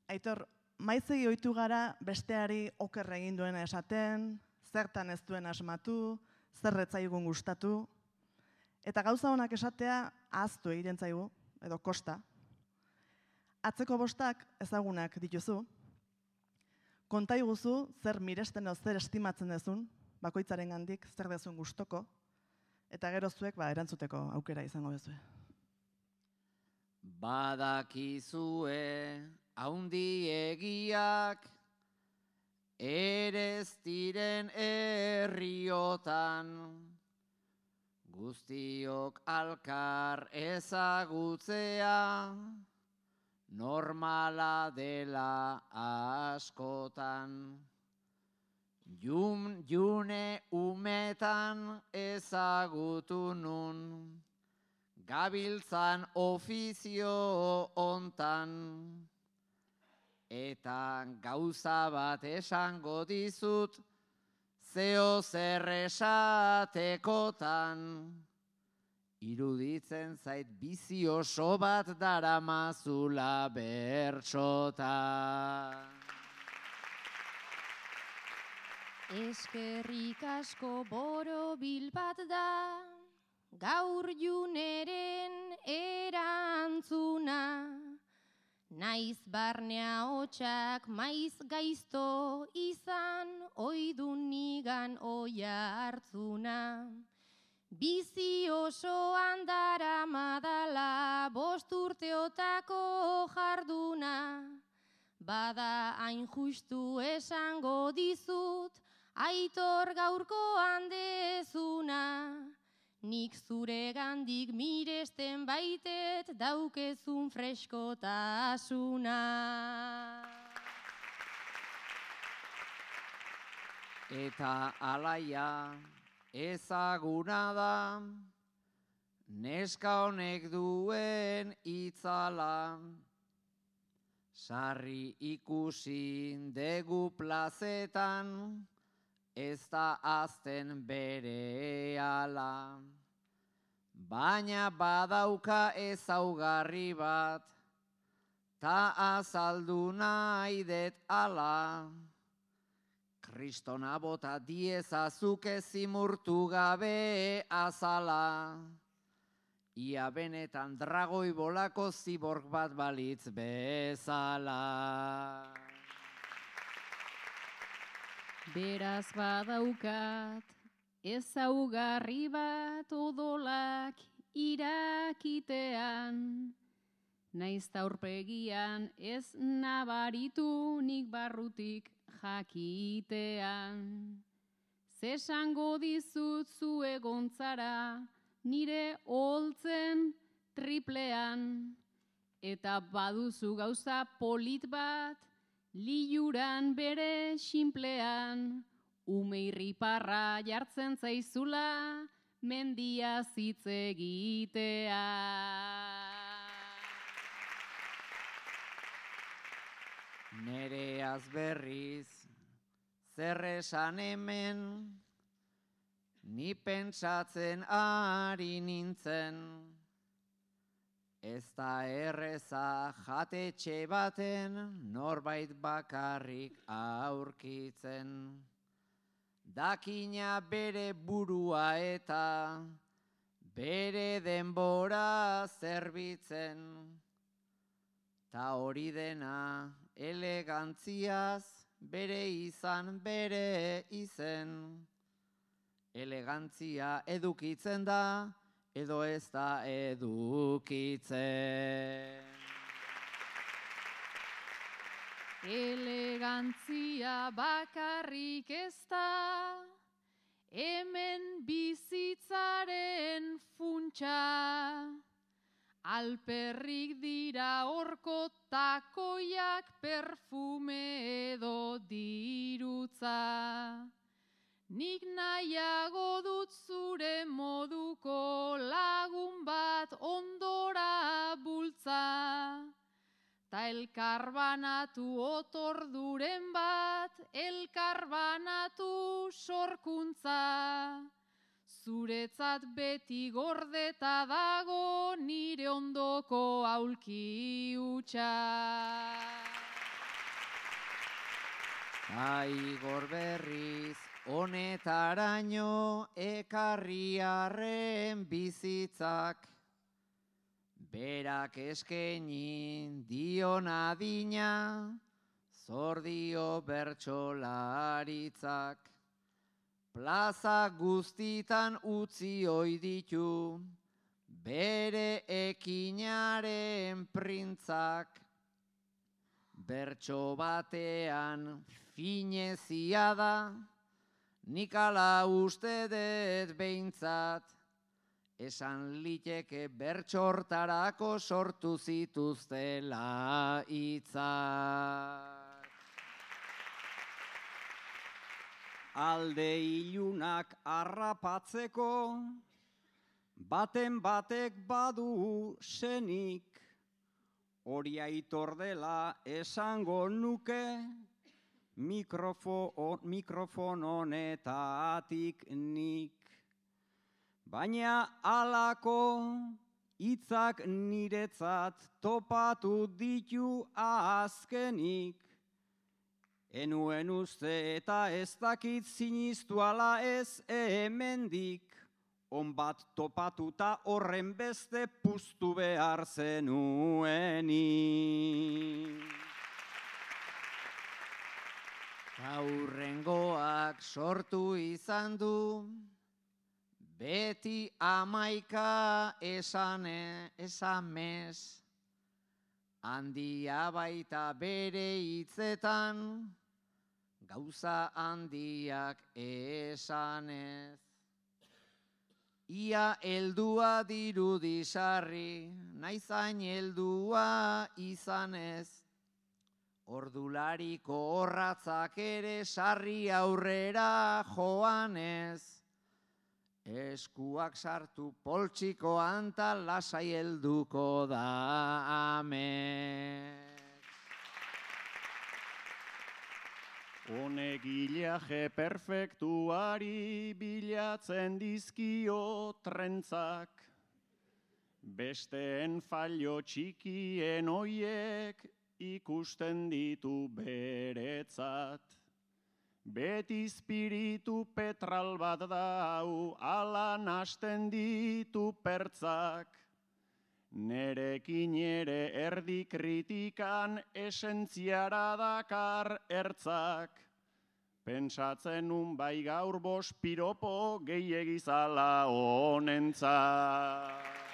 Aitor, maizegi ohitu gara besteari oker egin duena esaten, zertan ez duen asmatu, zer ez zaigun gustatu, eta gauza honak esatea ahaztu egiten zaigu, edo kosta. Atzeko bostak ezagunak dituzu, konta iguzu zer miresten edo zer estimatzen dezun, bakoitzaren gandik zer dezun gustoko, eta gero zuek erantzuteko aukera izango dezue. Badakizue haundiegiak ere ez diren herriotan, guztiok alkar ezagutzea normala dela askotan. June umetan ezagutu nun, gabiltzan ofizio hontan, eta gauza bat esango dizut, zeo zer esatekotan, iruditzen zait bizi oso bat daramazula bertsotan. Eskerrik asko borobil bat da, gaur Juneren erantzuna, naiz barnea hotxak maiz gaizto izan, oidun nigan oia hartzuna. Bizi osoan daramadala 5 urteotako jarduna, bada hain justu esango dizut, Aitor gaurkoan dezuna. Nik zure gandik miresten baitet daukezun freskotasuna. Eta alaia ezaguna da, neska honek duen itzala, sarri ikusi degu plazetan, ez da azten berehala. Baina badauka ezaugarri bat, ta azaldu nahi det ala. Kristona bota diezazuk ezimurtu gabe azala. Ia benetan dragoi bolako ziborg bat balitz bezala. Beraz badaukat, ezaugarri bat odolak irakitean, naiz aurpegian ez nabaritu nik barrutik jakitean. Zesango dizut zu egontzara nire holtzen triplean, eta baduzu gauza polit bat liuran bere xinplean, umeirriparra jartzen zaizula mendia hitz egitea. Nereaz berriz, zer esan hemen, ni pentsatzen ari nintzen, ez da erreza jatetxe baten norbait bakarrik aurkitzen. Dakina bere burua eta bere denbora zerbitzen, ta hori dena elegantziaz bere izan bere izen. Elegantzia edukitzen da, edo ez da edukitzen. Elegantzia bakarrik ez da, hemen bizitzaren funtsa. Alperrik dira horko takoiak perfume edo dirutza. Nik nahiago dut zure moduko lagun bat ondora bultza. Ta elkarbanatu otorduren bat, elkarbanatu sorkuntza. Zuretzat beti gordeta dago nire ondoko aulki hutsa. Igor berriz, honetaraino ekarriarren bizitzak. Berak eskenin dion adina, zor dio bertsolaritzak. Plaza guztitan utzi ohi ditu, bere ekinaren printzak. Bertso batean finezia da, nik ala uste dut behintzat, esan liteke bertsortarako sortu zituztela hitzak. Alde ilunak harrapatzeko, baten batek badu senik, hori aitor dela esango nuke, mikrofon honetatik nik. Baina halako hitzak niretzat topatu ditu azkenik. Enuen uste eta ez dakit sinistu ala ez hemendik. Onbat topatuta horren beste puztu behar zenuenik. Aurrengoak sortu izan du, beti 11 esamez, handia baita bere hitzetan, gauza handiak esanez. Ia heldua dirudi sarri, naizain heldua izanez, ordulariko orratzak ere sarri aurrera joanez, eskuak sartu poltsikoan ta lasai helduko da amets. Honegileaje perfektuari bilatzen dizkio trentzak, besteen fallo txikien oiek ikusten ditu beretzat. Beti espiritu petral bat dau, ala nasten ditu pertzak. Nerekin ere erdi kritikan esentziara dakar ertzak. Pentsatzen nun bai gaur 5 piropo gehiegizala honentzat.